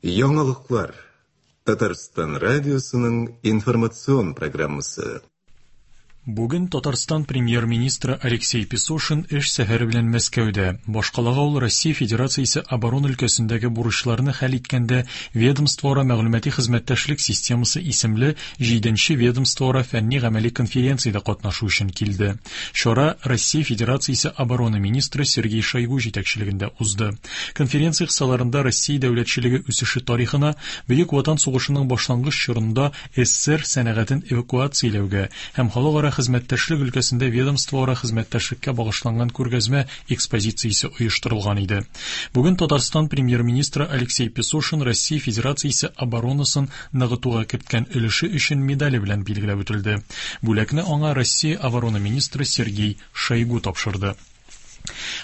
Яңалыклар. Татарстан радиосының информацион программасы. Бүген Татарстан премьер-министры Алексей Песошин эш сәфәре белән Мәскәүдә. Башкалага ул Россия Федерациясе оборона өлкәсендәге бурычларны хәл иткәндә ведомствоара мәгълүмати хезмәттәшлек системасы исемле 7-нче ведомствоара фәнни-гамәли конференциядә катнашу өчен килде. Чара Россия Федерациясе оборона министры Сергей Шойгу җитәкчелегендә узды. Конференция кысаларында Россия дәүләтчелеге үсеше тарихына, Бөек Ватан сугышының башлангыч чорында СССР сәнәгатен эвакуацияләүгә һәм халыкара хезмәттәшлек өлкәсендә ведомствоара хезмәттәшлеккә багышланган күргәзмә экспозициясе оештырылган иде. Бүген Татарстан премьер-министры Алексей Песошин Россия Федерациясе оборонасын ныгытуга керткән өлеше өчен медале белән билгеләп үтелде. Бүләкне аңа Россия оборона министры Сергей Шойгу тапшырды.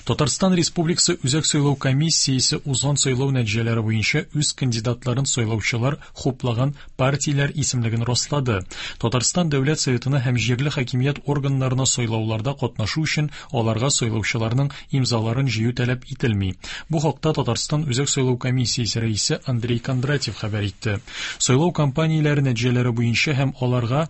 Татарстан Республикасы Үзәк сайлау комиссиясе узган сайлау нәтиҗәләре буенча үз кандидатларын сайлаучылар хуплаган партияләр исемлеген раслады. Татарстан Дәүләт Советына һәм җирле хакимият органнарына сайлауларда катнашу өчен аларга сайлаучыларның имзаларын җыю таләп ителми. Бу хакта Татарстан Үзәк сайлау комиссиясе рәисе Андрей Кондратьев хәбәр итте. Сайлау кампанияләре нәтиҗәләре буенча һәм аларга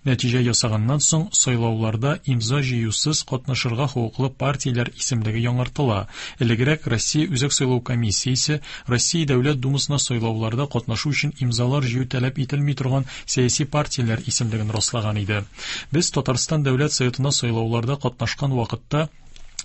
Нәтиҗә ясаганнан соң, сайлауларда имза җыюсыз катнашырга хокуклы партияләр исемлеге яңартыла. Элегрәк Россия Үзәк сайлау комиссиясе Россия Дәүләт Думасына сайлауларда катнашу өчен имзалар җыю таләп ителми торган сәяси партияләр исемлеген раслаган иде. Без Татарстан Дәүләт Советына сайлауларда катнашкан вакытта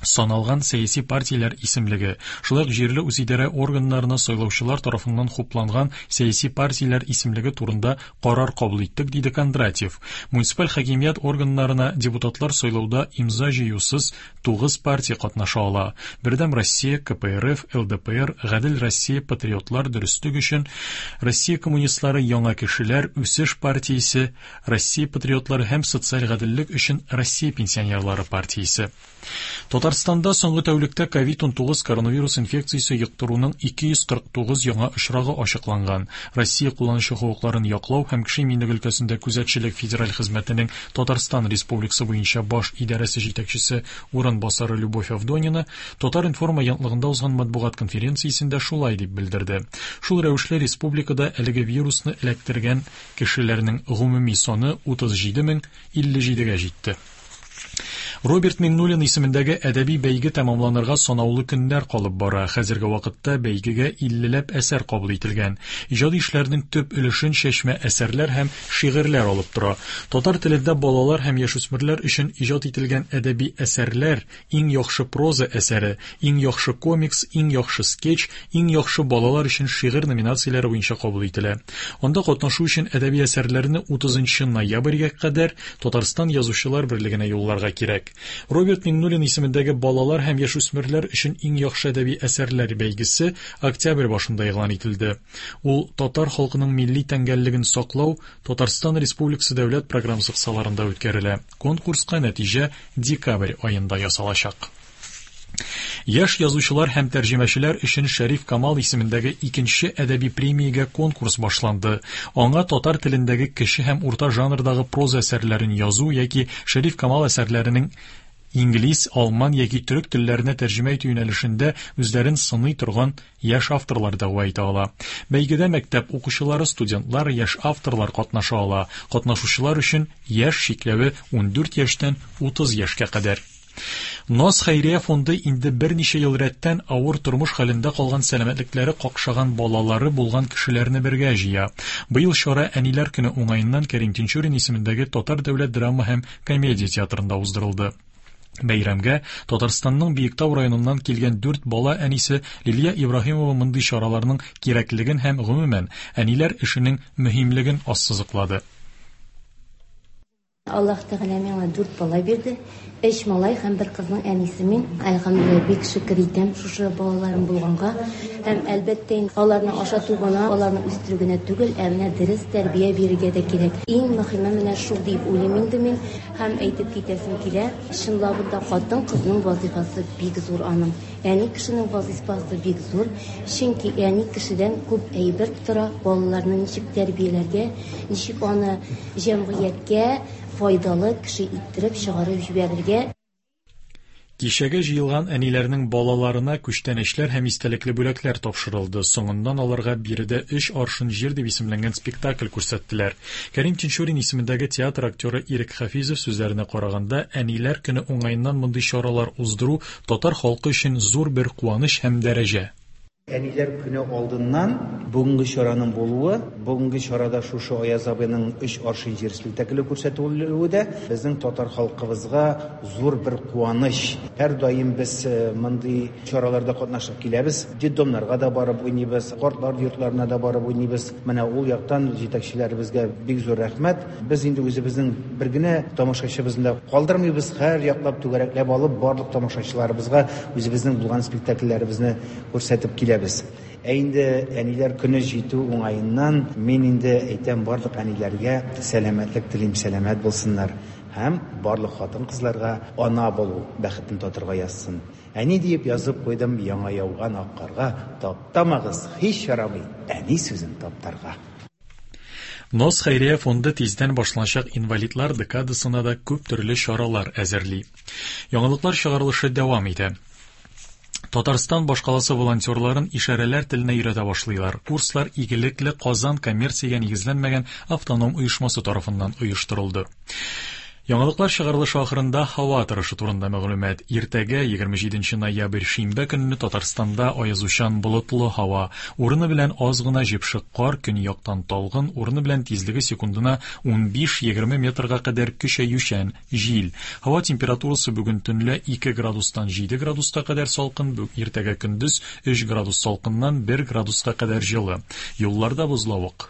саналган сәяси партияләр исемлеге, шулай ук җирле үзидарә органнарына сайлаучылар тарафыннан хупланган сәяси партияләр исемлеге турында карар кабул иттек, диде Кондратьев. Муниципаль хакимият органнарына депутатлар сайлауда имза җыюсыз 9 партия катнаша ала. Бердәм Россия, КПРФ, ЛДПР, Гадел Россия, Патриотлар, Дөреслек өчен, Россия коммунистлары, Яңа кешеләр, Үсеш партиясе, Россия патриотлары һәм социаль гаделлек өчен Россия пенсионерлары партиясе. Татарстанда соңгы тәүлектә COVID-19 коронавирус инфекциясе йоктыруның 249 яңа очрагы ачыкланган. Россия кулланучы хокукларын яклау һәм кеше иминлеге өлкәсендә күзәтчелек федераль хезмәтенең Татарстан Республикасы буенча баш идарәсе җитәкчесе урынбасары Любовь Авдонина Татар-информ агентлыгында узган матбугат конференциясендә шулай дип белдерде. Шул рәвешле республикада әлеге вирусны эләктергән кешеләрнең гомуми саны 37 057-гә җитте. Роберт Миңнуллин исемендәге әдәби бәйге тәмамланырга санаулы көннәр калып бара. Хәзерге вакытта бәйгегә 50ләп әсәр кабул ителгән. Иҗади эшләрнең төп өлешен чәчмә әсәрләр һәм шигырьләр алып тора. Татар телендә балалар һәм яшүсмерләр өчен иҗат ителгән әдәби әсәрләр иң яхшы проза әсәре, иң яхшы комикс, иң яхшы скетч, иң яхшы балалар өчен шигырь номинацияләре буенча кабул ителә. Анда катнашу өчен әдәби әсәрләрне 30 ноябрьгә кадәр Татарстан Язучылар берлегенә юлларга кирәк. Роберт Миңнуллин исемендәге балалар һәм яшүсмерләр өчен иң яхшы әдәби әсәрләр бәйгесе октябрь башында игълан ителде. Ул татар халкының милли тәңгәллеген саклау Татарстан Республикасы дәүләт программасы кысаларында үткәрелә. Конкурска нәтиҗә декабрь аенда ясалачак. Яшь язучылар һәм тәрҗемәчеләр өчен Шәриф Камал исемендәге икенче әдәби премиягә конкурс башланды. Аңа татар телендәге кече һәм урта жанрдагы проза әсәрләрен язу яки Шәриф Камал әсәрләренең инглиз, алман яки төрек телләренә тәрҗемә итү юнәлешендә үзләрен сыный торган яшь авторлар дәгъва итә ала. Бәйгедә мәктәп укучылары, студентлар, яшь авторлар катнаша ала. Катнашучылар өчен яшь чикләве 14 яшьтән 30 яшькә кадәр. Наз хәйрия фонды инде берничә ел рәттән авыр тормыш хәлендә калган сәламәтлекләре какшаган балалары булган кешеләрне бергә җыя. Быел чара Әниләр көне уңаеннан Кәрим Тинчурин исемендәге Татар дәүләт драма һәм комедия театрында уздырылды. Бәйрәмгә Татарстанның Биектау районыннан килгән дүрт бала әнисе Лилия Ибраһимова мондый чараларның кирәклеген һәм гомумән әниләр эшенең мөһимлеген ассызыклады. Аллаһ Тәгалә миңа дүрт бала бирде. Өч малай һәм бер кызның әнисе мин. Әлхәмдүлилләһ, бик шөкер итәм шушы балаларым булганга. Һәм, әлбәттә инде, аларны ашату гына, аларны үстерү генә түгел, ә менә дөрес тәрбия бирергә дә кирәк. Иң мөһиме менә шул дип уйлыйм инде мин. Һәм әйтеп китәсем килә, чынлабында да хатын-кызның вазыйфасы бик зур аның. Әни кешенең вазыйфасы бик зур, чөнки әни кешедән күп әйбер тора, балаларны ничек тәрбияләргә, ничек аны җәмгыятькә файдалы кеше иттереп чыгарып җибәрергә. Кичәгә җыелган әниләрнең балаларына күчтәнәчләр һәм истәлекле бүләкләр тапшырылды. Соңыннан аларга биредә Өч аршын җир дип исемләнгән спектакль күрсәттеләр. Кәрим Тинчурин исемендәге театр актеры Ирек Хафизов сүзләренә караганда, Әниләр көне уңаеннан мондый чаралар уздыру татар халкы өчен зур бер куаныч һәм дәрәҗә. Әниләр көне алдыннан бүгенге чараның булуы, бүгенге чарада шушы Аяз абыйның Өч аршин җир спектакле күрсәтелүе дә безнең татар халкыбызга зур бер куаныч. Һәрдаим без мондый чараларда катнашып киләбез. Детдомнарга да барып уйныйбыз, картлар йортларына да барып уйныйбыз. Менә ул яктан җитәкчеләребезгә бик зур рәхмәт. Без инде үзебезнең бер генә тамашачыбызны да калдырмыйбыз, һәр яклап түгәрәкләп алып, барлык тамашачыларыбызга үзебезнең булган спектакльләребезне күрсәтеп киләбез. Ә инде әниләр көне җитү уңаеннан мин инде әйтәм барлык әниләргә сәламәтлек телим, сәламәт булсыннар һәм барлык хатын-кызларга ана булу бәхетен татырга язсын. Әни диеп язып куйдым яңа яуган ак карга, таптамагыз, һич ярамый әни сүзен таптарга. Нос хәйрия фонды тиздән башланачак инвалидлар декадасына да күп төрле чаралар әзерли. Яңалыклар чыгарылышы дәвам итә. Татарстан башкаласы волонтерларын ишарәләр теленә өйрәтә башлыйлар. Курслар Игелекле Казан коммерциягә нигезләнмәгән автоном оешмасы тарафыннан оештырылды. Яңалыклар чыгарылышы ахырында һава торышы турында мәгълүмат. Иртәгә, 27 ноябрь, шимбә көнне Татарстанда аязучан болытлы һава. Урыны белән аз гына җепшек кар, көньяктан талгын, урыны белән тизлеге секундына 15-20 метрга кадәр көчәючән җил. Һава температурасы бүген төнлә 2 градустан 7 градуска кадәр салкын, иртәгә көндез 3 градус салкыннан 1 градуска кадәр җылы. Юлларда бозлавык.